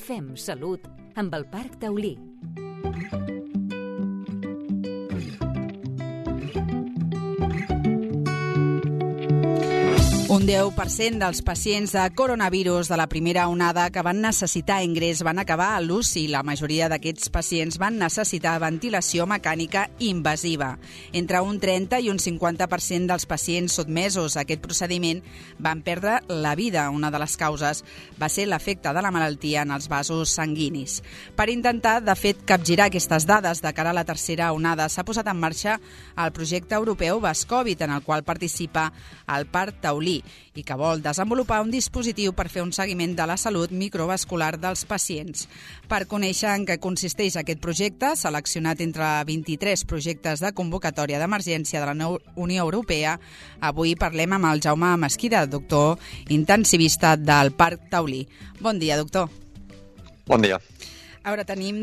Fem Salut amb el Parc Taulí. Un 10% dels pacients de coronavirus de la primera onada que van necessitar ingrés van acabar a l'UCI. La majoria d'aquests pacients van necessitar ventilació mecànica invasiva. Entre un 30 i un 50% dels pacients sotmesos a aquest procediment van perdre la vida. Una de les causes va ser l'efecte de la malaltia en els vasos sanguinis. Per intentar, de fet, capgirar aquestes dades de cara a la tercera onada, s'ha posat en marxa el projecte europeu Bascovid, en el qual participa el Parc Taulí, i que vol desenvolupar un dispositiu per fer un seguiment de la salut microvascular dels pacients. Per conèixer en què consisteix aquest projecte, seleccionat entre 23 projectes de convocatòria d'emergència de la Unió Europea, avui parlem amb el Jaume Mesquida, doctor intensivista del Parc Taulí. Bon dia, doctor. Bon dia. A veure, tenim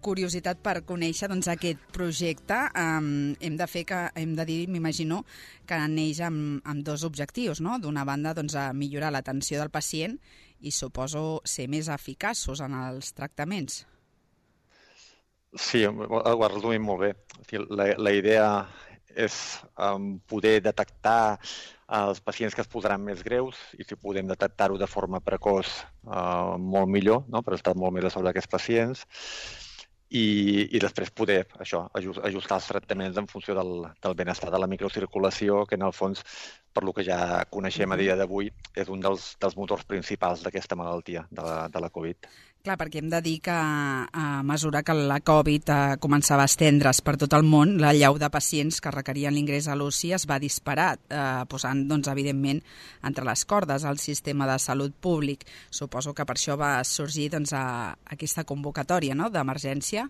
curiositat per conèixer aquest projecte. Hem de dir, m'imagino, que neix amb dos objectius, no? D'una banda, millorar l'atenció del pacient i suposo ser més eficaços en els tractaments. Sí, ho has resumit molt bé. La idea és poder detectar els pacients que es posaran més greus i si podem detectar-ho de forma precoç molt millor, no? Per estar molt més a sobre d'aquests pacients i després poder ajustar els tractaments en funció del benestar de la microcirculació, que en el fons, per lo que ja coneixem a dia d'avui, és un dels motors principals d'aquesta malaltia, de la Covid. Clar, perquè hem de dir que a mesura que la Covid començava a estendre's per tot el món, la llau de pacients que requerien l'ingrés a l'UCI es va disparar, posant, evidentment, entre les cordes el sistema de salut públic. Suposo que per això va sorgir aquesta convocatòria, no?, d'emergència.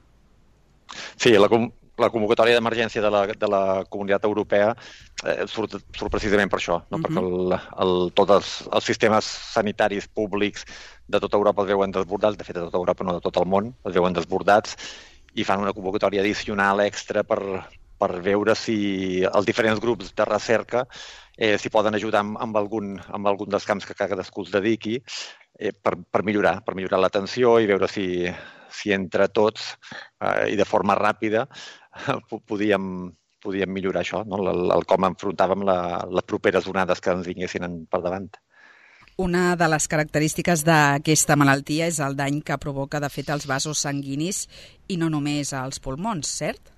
Sí, la convocatòria d'emergència de la Comunitat Europea surt precisament per això, no? Perquè tots els sistemes sanitaris públics de tota Europa es veuen desbordats, de fet de tota Europa, no de tot el món, es veuen desbordats i fan una convocatòria addicional extra per veure si els diferents grups de recerca s'hi poden ajudar amb algun dels camps que cadascú es dediqui per millorar l'atenció i veure si entre tots i de forma ràpida podíem millorar això, no? El com enfrontàvem les properes onades que ens vinguessin per davant. Una de les característiques d'aquesta malaltia és el dany que provoca, de fet, els vasos sanguinis i no només als pulmons, cert?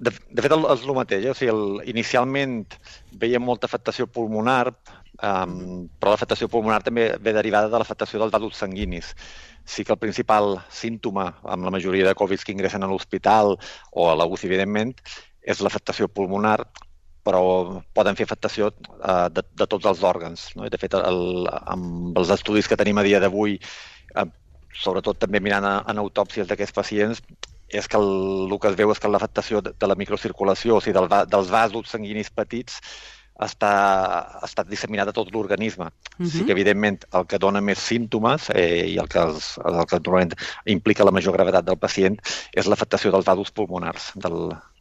De fet, és el mateix. O sigui, inicialment veiem molta afectació pulmonar, però l'afectació pulmonar també ve derivada de l'afectació dels vasos sanguinis. Sí que el principal símptoma, amb la majoria de Covid que ingressen a l'hospital o a la UCI, evidentment, és l'afectació pulmonar, però poden fer afectació de tots els òrgans, no? De fet, amb els estudis que tenim a dia d'avui, sobretot també mirant en autòpsies d'aquests pacients, és que el que es veu és que l'afectació de la microcirculació, o sigui, dels vasos sanguinis petits, està disseminat a tot l'organisme. Sí que, evidentment, el que dona més símptomes i el que normalment implica la major gravetat del pacient és l'afectació dels vasos pulmonars,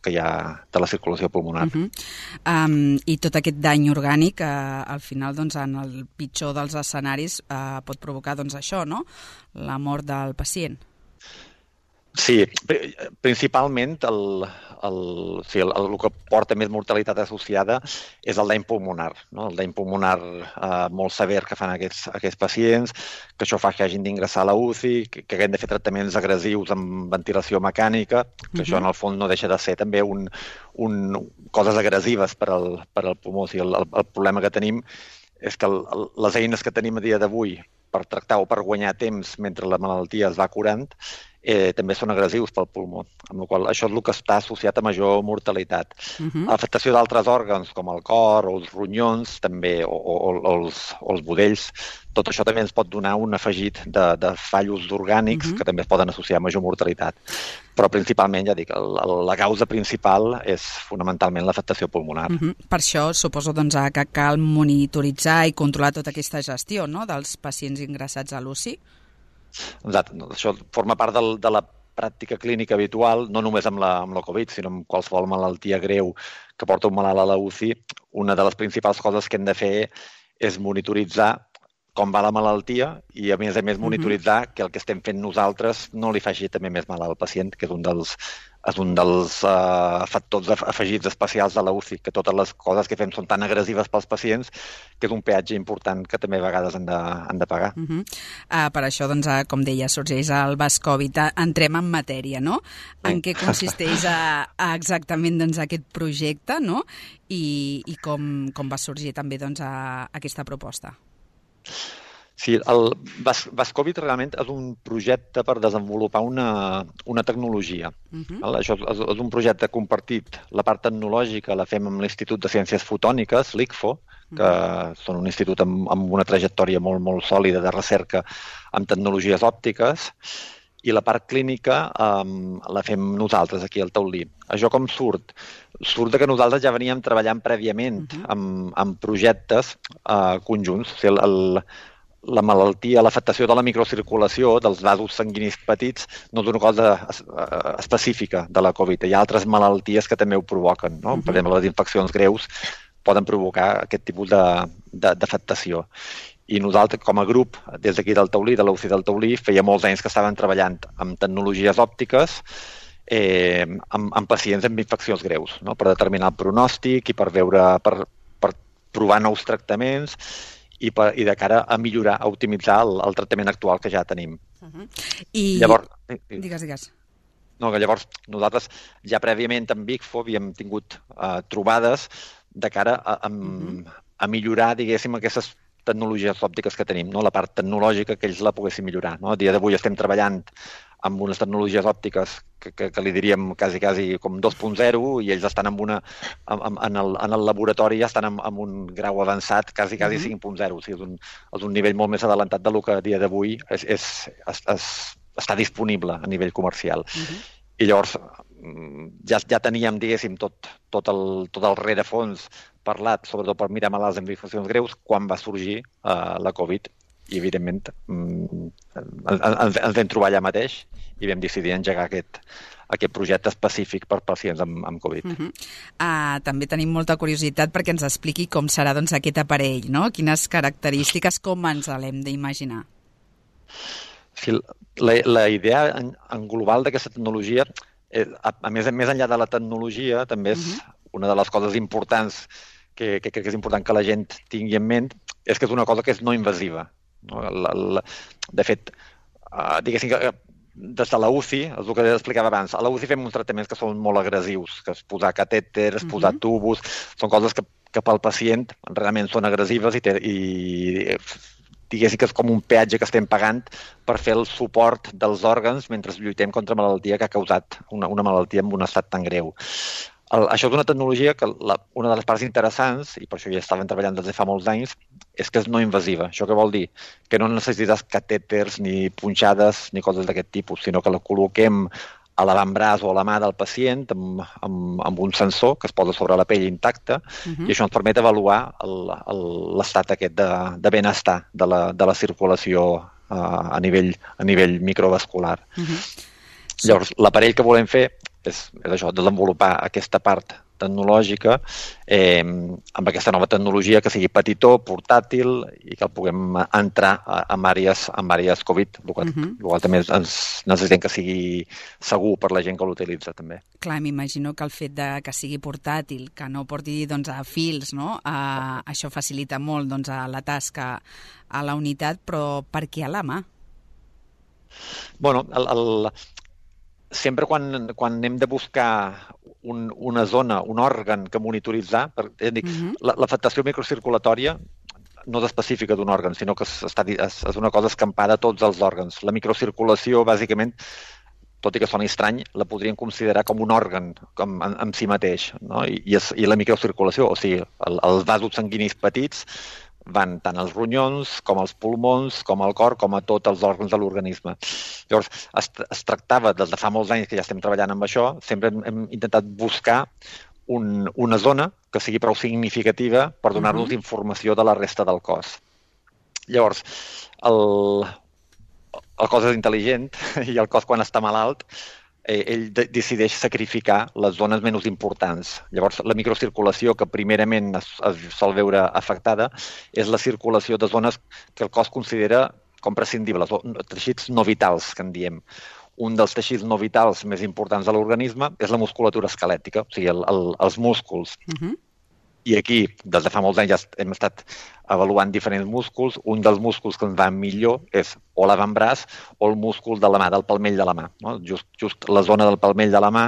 que hi ha de la circulació pulmonar. I tot aquest dany orgànic, al final, en el pitjor dels escenaris, pot provocar això, no?, la mort del pacient. Sí, principalment el que porta més mortalitat associada és el dany pulmonar, no? El dany pulmonar molt sever que fan aquests pacients, que això fa que hagin d'ingressar a la UCI, que hagin de fer tractaments agressius amb ventilació mecànica, que això en el fons no deixa de ser també coses agressives per al pulmó. O sigui, el problema que tenim és que les eines que tenim a dia d'avui per tractar o per guanyar temps mentre la malaltia es va curant també són agressius pel pulmó, amb la qual cosa això és el que està associat a major mortalitat. L'afectació d'altres òrgans, com el cor o els ronyons, també, o els budells, tot això també ens pot donar un afegit de fallos orgànics que també es poden associar a major mortalitat. Però principalment, ja dic, la causa principal és fonamentalment l'afectació pulmonar. Per això suposo que cal monitoritzar i controlar tota aquesta gestió, no?, dels pacients ingressats a l'UCI. Exacte. Això forma part de la pràctica clínica habitual, no només amb la Covid, sinó amb qualsevol malaltia greu que porta un malalt a la UCI. Una de les principals coses que hem de fer és monitoritzar com va la malaltia i, a més monitoritzar que el que estem fent nosaltres no li faci també més mal al pacient, que és un dels factors afegits especials de la UCI, que totes les coses que fem són tan agressives pels pacients que és un peatge important que també a vegades han de pagar. Per això, doncs, com deia, sorgeix el Bascovid. Entrem en matèria, no? En què consisteix exactament aquest projecte, no? I com va sorgir també aquesta proposta? Sí, el Bascovid realment és un projecte per desenvolupar una tecnologia. Això és un projecte compartit. La part tecnològica la fem amb l'Institut de Ciències Fotòniques, l'ICFO, que són un institut amb una trajectòria molt, molt sòlida de recerca amb tecnologies òptiques, i la part clínica la fem nosaltres aquí al Taulí. Això com surt? Surt que nosaltres ja veníem treballant prèviament amb projectes conjunts. O sigui, la malaltia, l'afectació de la microcirculació dels vasos sanguinis petits no és una cosa específica de la Covid. Hi ha altres malalties que també ho provoquen, no? Per exemple, les infeccions greus poden provocar aquest tipus d'afectació. I nosaltres, com a grup, des d'aquí del Taulí, de l'UCI del Taulí, feia molts anys que estaven treballant amb tecnologies òptiques amb pacients amb infeccions greus, no? Per determinar el pronòstic i per provar nous tractaments i de cara a millorar, a optimitzar el tractament actual que ja tenim. I llavors, digues. No, que llavors nosaltres ja prèviament amb ICFO havíem tingut trobades de cara a millorar, diguéssim, aquestes tecnologies òptiques que tenim, no? La part tecnològica que ells la poguessin millorar, no? A dia d'avui estem treballant amb unes tecnologies òptiques que li diríem quasi com 2.0 i ells estan en el laboratori ja estan en un grau avançat quasi 5.0. O sigui, és un nivell molt més adelantat del que a dia d'avui està disponible a nivell comercial. I llavors ja teníem, diguéssim, tot el rerefons parlat, sobretot per mirar malalts amb infeccions greus, quan va sorgir la Covid. I, evidentment, ens vam trobar allà mateix i vam decidir engegar aquest projecte específic per pacients amb Covid. També tenim molta curiositat perquè ens expliqui com serà aquest aparell, no? Quines característiques, com ens l'hem d'imaginar? Sí, la idea en global d'aquesta tecnologia, a més enllà de la tecnologia, també és una de les coses importants que crec que és important que la gent tingui en ment, és que és una cosa que és no invasiva. De fet, diguéssim que des de la UCI, és el que explicava abans, a la UCI fem uns tractaments que són molt agressius, que és posar catèters, posar tubos, són coses que pel pacient realment són agressives i diguéssim que és com un peatge que estem pagant per fer el suport dels òrgans mentre lluitem contra malaltia que ha causat una malaltia amb un estat tan greu. Això és una tecnologia que una de les parts interessants, i per això ja estaven treballant des de fa molts anys, és que és no invasiva. Això què vol dir? Que no necessites catèters ni punxades ni coses d'aquest tipus, sinó que la col·loquem a l'avantbraç o a la mà del pacient amb un sensor que es posa sobre la pell intacta i això ens permet avaluar l'estat aquest de benestar de la circulació a nivell microvascular. Llavors, l'aparell que volem fer és això, desenvolupar aquesta part tecnològica amb aquesta nova tecnologia que sigui petitó, portàtil i que el puguem entrar en àrees Covid, el qual també necessitem que sigui segur per la gent que l'utilitza també. Clar, m'imagino que el fet que sigui portàtil, que no porti a fils, no? Això facilita molt la tasca a la unitat, però per què a la mà? Bueno, sempre quan hem de buscar una zona, un òrgan que monitoritzar, l'afectació microcirculatòria no és específica d'un òrgan, sinó que és una cosa escampada a tots els òrgans. La microcirculació, bàsicament, tot i que soni estrany, la podríem considerar com un òrgan en si mateix, no? I la microcirculació, o sigui, els vasos sanguinis petits van tant als ronyons, com als pulmons, com al cor, com a tots els òrgans de l'organisme. Llavors, es tractava, des de fa molts anys que ja estem treballant amb això, sempre hem intentat buscar una zona que sigui prou significativa per donar-nos informació de la resta del cos. Llavors, el cos és intel·ligent i el cos quan està malalt ell decideix sacrificar les zones menys importants. Llavors, la microcirculació que primerament es sol veure afectada és la circulació de zones que el cos considera com prescindibles, teixits no vitals, que en diem. Un dels teixits no vitals més importants de l'organisme és la musculatura esquelètica, o sigui, els músculs. I aquí, des de fa molts anys, ja hem estat avaluant diferents músculs. Un dels músculs que ens va millor és o l'avantbraç o el múscul de la mà, del palmell de la mà. No? Just la zona del palmell de la mà,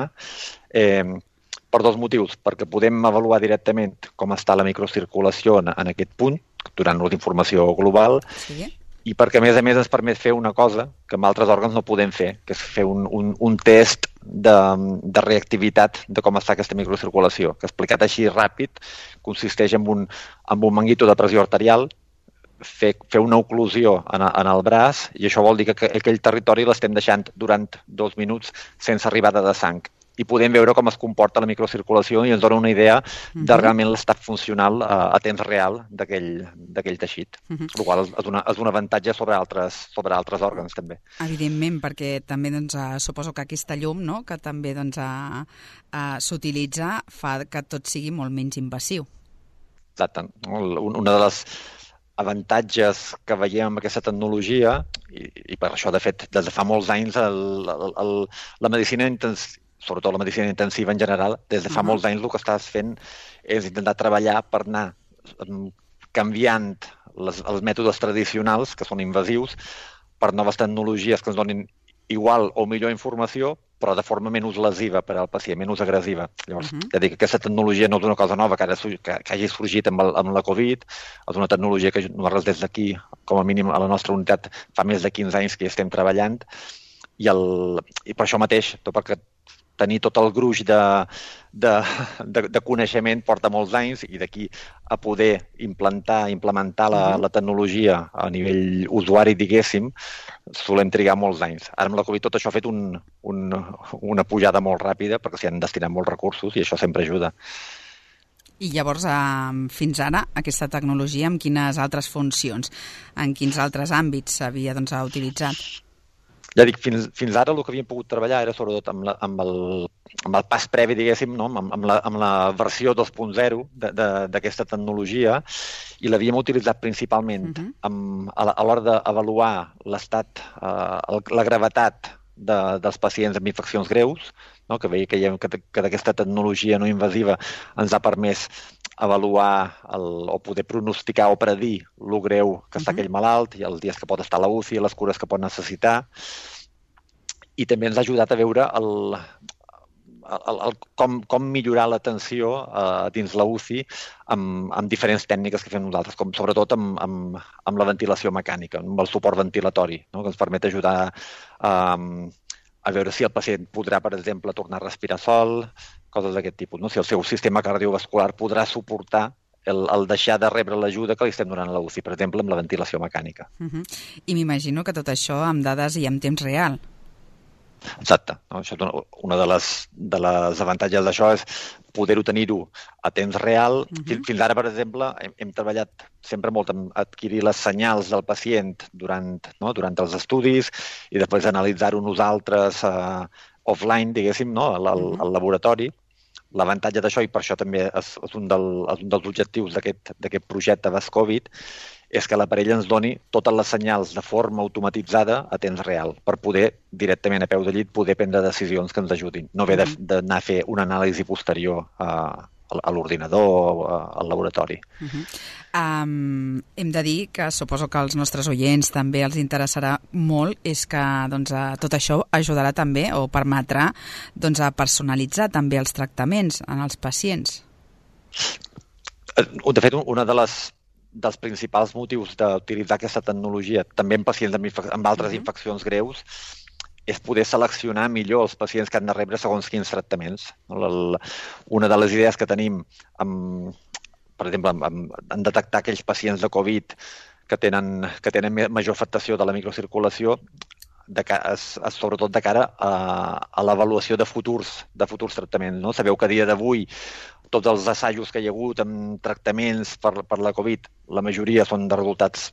per dos motius. Perquè podem avaluar directament com està la microcirculació en aquest punt, donant-nos informació global, i perquè, a més, ens permet fer una cosa que amb altres òrgans no podem fer, que és fer un test de reactivitat de com està aquesta microcirculació, que explicat així ràpid consisteix en un manguito de pressió arterial, fer una oclusió en el braç, i això vol dir que aquell territori l'estem deixant durant 2 minuts sense arribada de sang. I podem veure com es comporta la microcirculació i ens dona una idea de realment l'estat funcional a temps real d'aquell teixit, el qual és un avantatge sobre altres òrgans, també. Evidentment, perquè també suposo que aquesta llum, no?, que també s'utilitza, fa que tot sigui molt menys invasiu. Exacte. Una de les avantatges que veiem amb aquesta tecnologia, i per això, de fet, des de fa molts anys, la medicina sobretot la medicina intensiva en general, des de fa molts anys el que estàs fent és intentar treballar per anar canviant els mètodes tradicionals, que són invasius, per noves tecnologies que ens donin igual o millor informació, però de forma menys lesiva per al pacient, menys agressiva. Llavors, ja dic que aquesta tecnologia no és una cosa nova que hagi sorgit amb la Covid, és una tecnologia que nosaltres des d'aquí, com a mínim a la nostra unitat, fa més de 15 anys que hi estem treballant, i per això mateix, perquè tenir tot el gruix de coneixement porta molts anys, i d'aquí a poder implementar la tecnologia a nivell usuari, diguéssim, solem trigar molts anys. Ara amb la Covid tot això ha fet una pujada molt ràpida perquè s'hi han destinat molts recursos i això sempre ajuda. I llavors, fins ara, aquesta tecnologia amb quines altres funcions, en quins altres àmbits s'havia utilitzat? Ja dic, fins ara el que havíem pogut treballar era sobretot amb el pas previ, diguéssim, no? amb la versió 2.0 d'aquesta tecnologia, i l'havíem utilitzat principalment a l'hora d'avaluar l'estat, la gravetat dels pacients amb infeccions greus, no? Que veiem que aquesta tecnologia no invasiva ens ha permès avaluar o poder pronosticar o predir lo greu que està aquell malalt i els dies que pot estar a la UCI, les cures que pot necessitar. I també ens ha ajudat a veure com millorar l'atenció dins la UCI amb diferents tècniques que fem nosaltres, com sobretot amb la ventilació mecànica, amb el suport ventilatori, no? Que ens permet ajudar a veure si el pacient podrà, per exemple, tornar a respirar sol, coses d'aquest tipus, no? Si el seu sistema cardiovascular podrà suportar el deixar de rebre l'ajuda que li estem donant a la UCI, per exemple, amb la ventilació mecànica. I m'imagino que tot això amb dades i en temps real. Exacte. Una de les avantatges d'això és poder-ho tenir-ho a temps real. Fins ara, per exemple, hem treballat sempre molt en adquirir les senyals del pacient durant els estudis i després analitzar-ho nosaltres offline, diguéssim, al laboratori. L'avantatge d'això, i per això també és un dels objectius d'aquest projecte VASCOVID, és que l'aparell ens doni totes les senyals de forma automatitzada a temps real, per poder directament a peu de llit poder prendre decisions que ens ajudin. No haver d'anar a fer una anàlisi posterior a l'ordinador o al laboratori. Hem de dir que suposo que als nostres oients també els interessarà molt, és que tot això ajudarà també o permetrà a personalitzar també els tractaments en els pacients. De fet, una dels principals motius d'utilitzar aquesta tecnologia, també en pacients amb altres infeccions greus, és poder seleccionar millor els pacients que han de rebre segons quins tractaments. Una de les idees que tenim, per exemple, en detectar aquells pacients de Covid que tenen major afectació de la microcirculació, sobretot de cara a l'avaluació de futurs tractaments. Sabeu que a dia d'avui tots els assajos que hi ha hagut amb tractaments per la Covid, la majoria són de resultats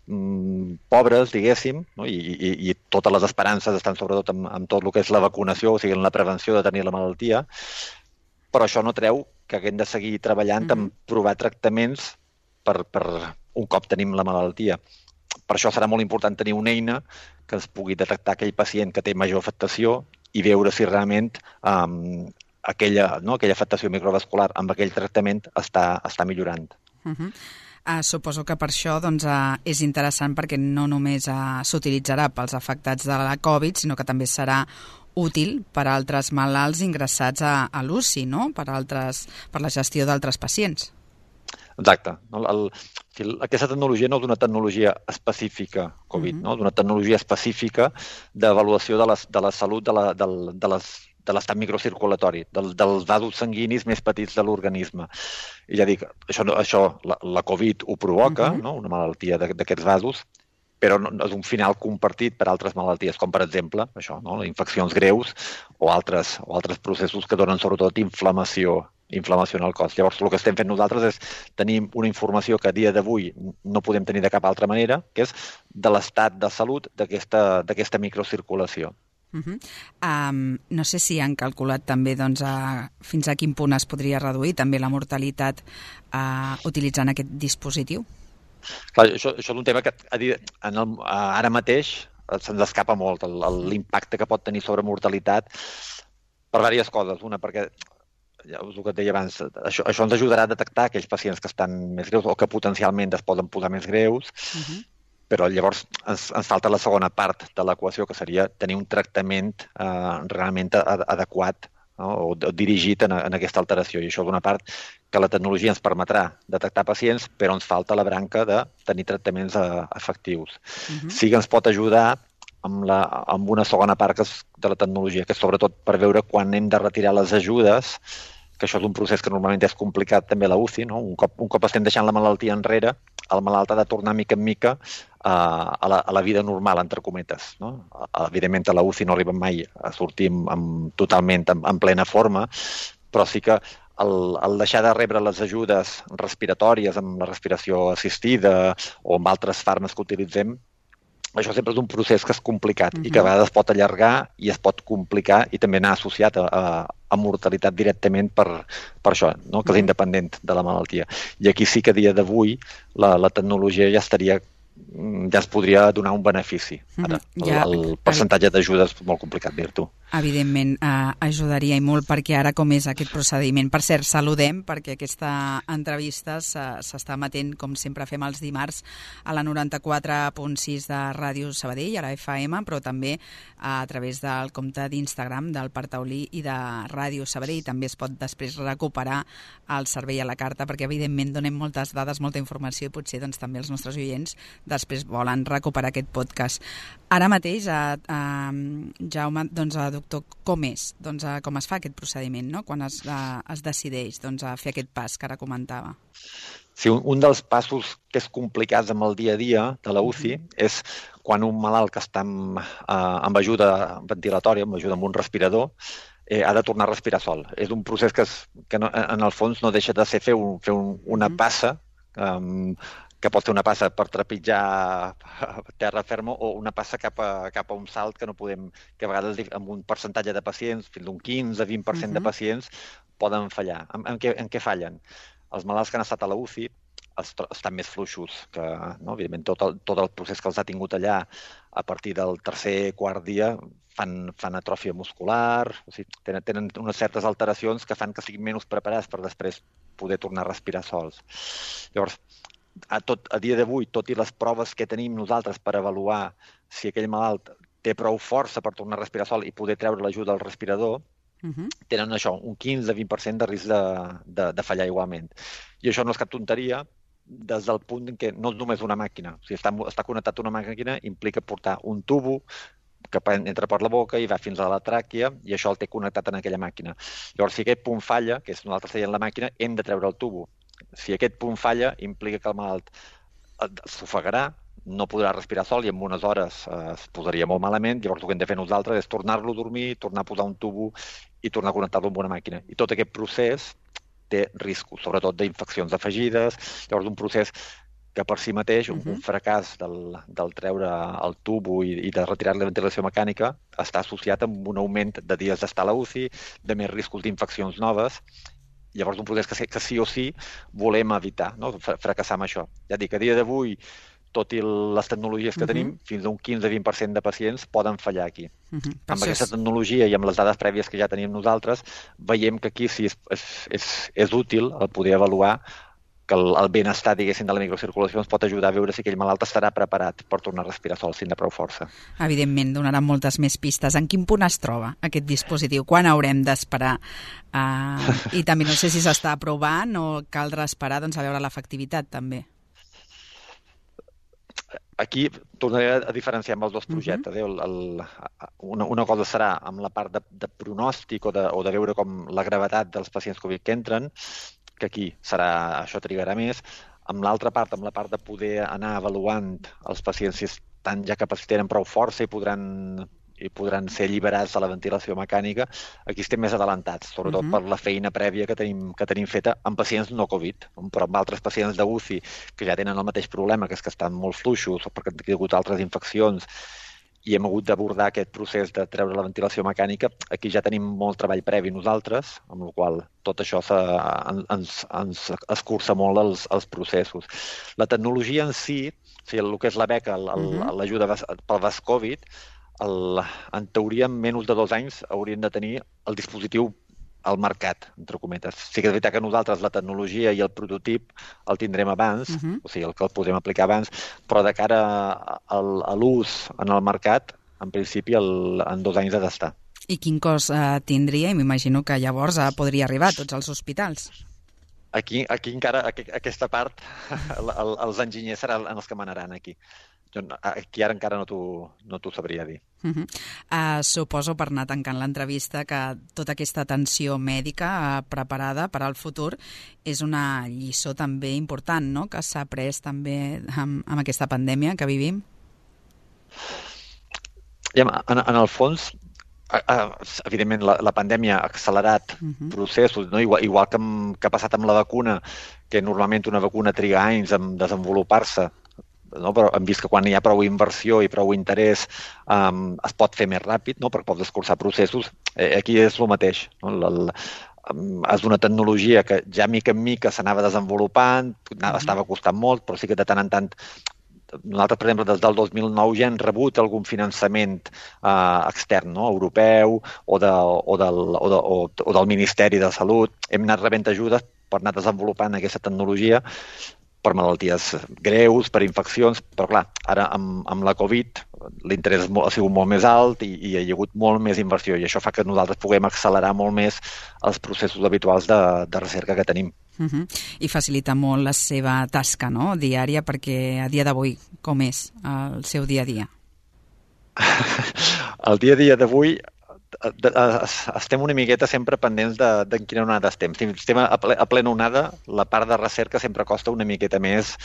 pobres, diguéssim, no? I totes les esperances estan sobretot amb tot el que és la vacunació, o sigui, en la prevenció de tenir la malaltia, però això no treu que haguem de seguir treballant en provar tractaments per un cop tenim la malaltia. Per això serà molt important tenir una eina que ens pugui detectar aquell pacient que té major afectació i veure si realment aquella afectació microvascular amb aquell tractament està millorant. Suposo que per això és interessant perquè no només s'utilitzarà pels afectats de la Covid, sinó que també serà útil per a altres malalts ingressats a l'UCI, no? Per la gestió d'altres pacients. Exacte. Aquesta tecnologia no és una tecnologia específica Covid, no? És una tecnologia específica d'avaluació de la salut de l'estat microcirculatori, dels vasos sanguinis més petits de l'organisme. I ja dic, això la Covid ho provoca, no? Una malaltia d'aquests vasos, però és un final compartit per altres malalties, com per exemple això, no? Infeccions greus o altres processos que donen sobretot inflamació en el cos. Llavors, el que estem fent nosaltres és tenir una informació que a dia d'avui no podem tenir de cap altra manera, que és de l'estat de salut d'aquesta microcirculació. No sé si han calculat també fins a quin punt es podria reduir també la mortalitat utilitzant aquest dispositiu. Clar, això és un tema que ara mateix se'ns escapa molt l'impacte que pot tenir sobre mortalitat per diverses coses. Una, perquè ja us ho deia abans, això ens ajudarà a detectar aquells pacients que estan més greus o que potencialment es poden posar més greus, però llavors ens falta la segona part de l'equació, que seria tenir un tractament realment adequat, no? O dirigit en aquesta alteració. I això és una part que la tecnologia ens permetrà detectar pacients, però ens falta la branca de tenir tractaments efectius. Sí que ens pot ajudar amb una segona part de la tecnologia, que és sobretot per veure quan hem de retirar les ajudes, que això és un procés que normalment és complicat també a la UCI, no? Un cop estem deixant la malaltia enrere, el malalt ha de tornar mica en mica a la vida normal, entre cometes, no? Evidentment a la UCI no arribem mai a sortir totalment en plena forma, però sí que el deixar de rebre les ajudes respiratòries amb la respiració assistida o amb altres fàrmacs que utilitzem, això sempre és un procés que és complicat i que a vegades pot allargar i es pot complicar i també anar associat a mortalitat directament per això, no? Que és independent de la malaltia. I aquí sí que a dia d'avui la tecnologia ja ens podria donar un benefici. Ara, el percentatge d'ajuda és molt complicat dir-ho. Evidentment, ajudaria i molt, perquè ara com és aquest procediment. Per cert, saludem, perquè aquesta entrevista s'està emetent, com sempre fem els dimarts, a la 94.6 de Ràdio Sabadell, a la FM, però també a través del compte d'Instagram del Parc Taulí i de Ràdio Sabadell. També es pot després recuperar el servei a la carta, perquè evidentment donem moltes dades, molta informació, i potser també els nostres oients després volen recuperar aquest podcast. Ara mateix, Jaume, doctor, com és? Com es fa aquest procediment, no? Quan es decideix a fer aquest pas que ara comentava? Sí, un dels passos que és complicats amb el dia a dia de la UCI és quan un malalt que està amb ajuda ventilatòria, amb ajuda amb un respirador, ha de tornar a respirar sol. És un procés que en el fons no deixa de ser fer una passa, que pot ser una passa per trepitjar terra ferma o una passa cap a un salt que no podem, que a vegades amb un percentatge de pacients, fins a un 15-20% de pacients, poden fallar. En què fallen? Els malalts que han estat a la UCI estan més fluixos, que evidentment tot el procés que els ha tingut allà a partir del tercer, quart dia fan atròfia muscular, o sigui, tenen unes certes alteracions que fan que siguin menys preparats per després poder tornar a respirar sols. Llavors, a dia d'avui, tot i les proves que tenim nosaltres per avaluar si aquell malalt té prou força per tornar a respirar sol i poder treure l'ajuda al respirador, tenen això, un 15-20% de risc de fallar igualment. I això no és cap tonteria des del punt en què no és només una màquina. O sigui, està connectat a una màquina implica portar un tubo que entra per la boca i va fins a la tràquea i això el té connectat en aquella màquina. Llavors, si aquest punt falla, que és nosaltres veient la màquina, hem de treure el tubo. Si aquest punt falla, implica que el malalt s'ofegarà, no podrà respirar sol i en unes hores es posaria molt malament. Llavors el que hem de fer nosaltres és tornar-lo a dormir, tornar a posar un tubo i tornar a connectar-lo amb una màquina. I tot aquest procés té riscos, sobretot d'infeccions afegides. Llavors, un procés que per si mateix, un fracàs del treure el tubo i de retirar la ventilació mecànica està associat amb un augment de dies d'estar a la UCI, de més riscos d'infeccions noves. Llavors, un procés que sí o sí volem evitar, no? Fracassar amb això. Ja dic, a dia d'avui, tot i les tecnologies que tenim, fins a un 15-20% de pacients poden fallar aquí. Amb aquesta tecnologia i amb les dades prèvies que ja tenim nosaltres, veiem que aquí sí és útil el poder avaluar que el benestar, diguéssim, de la microcirculació ens pot ajudar a veure si aquell malalt estarà preparat per tornar a respirar sol si en prou força. Evidentment, donaran moltes més pistes. En quin punt es troba aquest dispositiu? Quan haurem d'esperar? I també no sé si s'està aprovant o caldrà esperar a veure l'efectivitat també. Aquí tornaré a diferenciar amb els dos projectes. Una cosa serà amb la part de pronòstic o de veure com la gravetat dels pacients Covid que entren, que aquí això trigarà més. Amb l'altra part, amb la part de poder anar avaluant els pacients si estan ja tenen prou força i podran ser alliberats de la ventilació mecànica, aquí estem més adelantats, sobretot per la feina prèvia que tenim feta amb pacients no Covid, però amb altres pacients d'UCI que ja tenen el mateix problema, que és que estan molt fluixos o perquè han hagut altres infeccions i hem hagut d'abordar aquest procés de treure la ventilació mecànica. Aquí ja tenim molt treball previ nosaltres, amb la qual tot això ens escurça molt els processos. La tecnologia en si, el que és la beca, l'ajuda pel VASCOVID, en teoria, en menys de 2 anys hauríem de tenir el dispositiu al mercat, entre cometes. Sí que és veritat que nosaltres la tecnologia i el prototip el tindrem abans, o sigui, el que el podem aplicar abans, però de cara a l'ús en el mercat, en principi en 2 anys ha d'estar. I quin cost tindria? I m'imagino que llavors podria arribar a tots els hospitals. Aquí encara, aquesta part, els enginyers seran els que manaran aquí. Aquí ara encara no t'ho sabria dir. Suposo, per anar tancant l'entrevista, que tota aquesta atenció mèdica preparada per al futur és una lliçó també important, no?, que s'ha après també amb aquesta pandèmia que vivim. En el fons, evidentment, la pandèmia ha accelerat processos, no? Igual que ha passat amb la vacuna, que normalment una vacuna triga anys en desenvolupar-se, no? Però hem vist que quan hi ha prou inversió i prou interès es pot fer més ràpid, no? Perquè pots escurçar processos. Aquí és el mateix, no? És una tecnologia que ja mica en mica s'anava desenvolupant, estava costant molt, però sí que de tant en tant nosaltres, per exemple, des del 2009 ja hem rebut algun finançament extern, no? Europeu o del Ministeri de Salut. Hem anat rebent ajudes per anar desenvolupant aquesta tecnologia per malalties greus, per infeccions, però clar, ara amb la Covid l'interès ha sigut molt més alt i hi ha hagut molt més inversió i això fa que nosaltres puguem accelerar molt més els processos habituals de recerca que tenim. I facilita molt la seva tasca, no?, diària, perquè a dia d'avui com és el seu dia a dia? El dia a dia d'avui estem una miqueta sempre pendents de quina onada estem. Si estem a plena onada, la part de recerca sempre costa una miqueta més.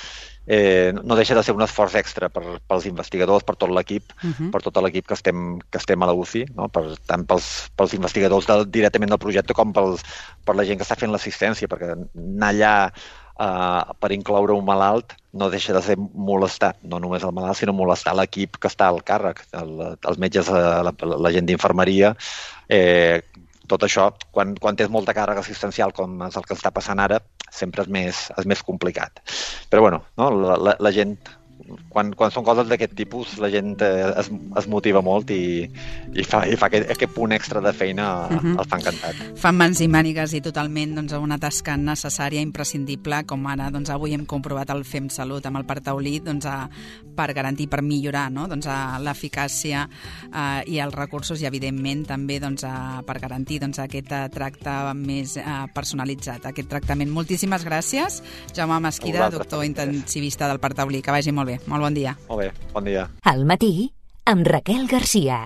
No deixa de ser un esforç extra pels investigadors, per tot l'equip, per tot l'equip que estem a la UCI, no? Tant pels investigadors directament del projecte com per la gent que està fent l'assistència, perquè anar allà per incloure un malalt no deixa de ser molestar, no només el malalt, sinó molestar l'equip que està al càrrec, els metges, la gent d'infermeria. Tot això, quan tens molta càrrega assistencial com és el que està passant ara, sempre és més complicat. Però bueno, no? La gent, quan són coses d'aquest tipus, la gent es motiva molt i fa aquest punt extra de feina, el fa encantat. Fan mans i mànigues i totalment una tasca necessària, imprescindible, com ara avui hem comprovat el FEM Salut amb el Partaulí, per garantir, per millorar, no? L'eficàcia i els recursos i, evidentment, també per garantir aquest tracte més personalitzat, aquest tractament. Moltíssimes gràcies, Jaume Mesquida, doctor intensivista del Partaulí. Que vagi molt bé. Molt bon dia. Molt bé, bon dia. Al matí, amb Raquel Garcia.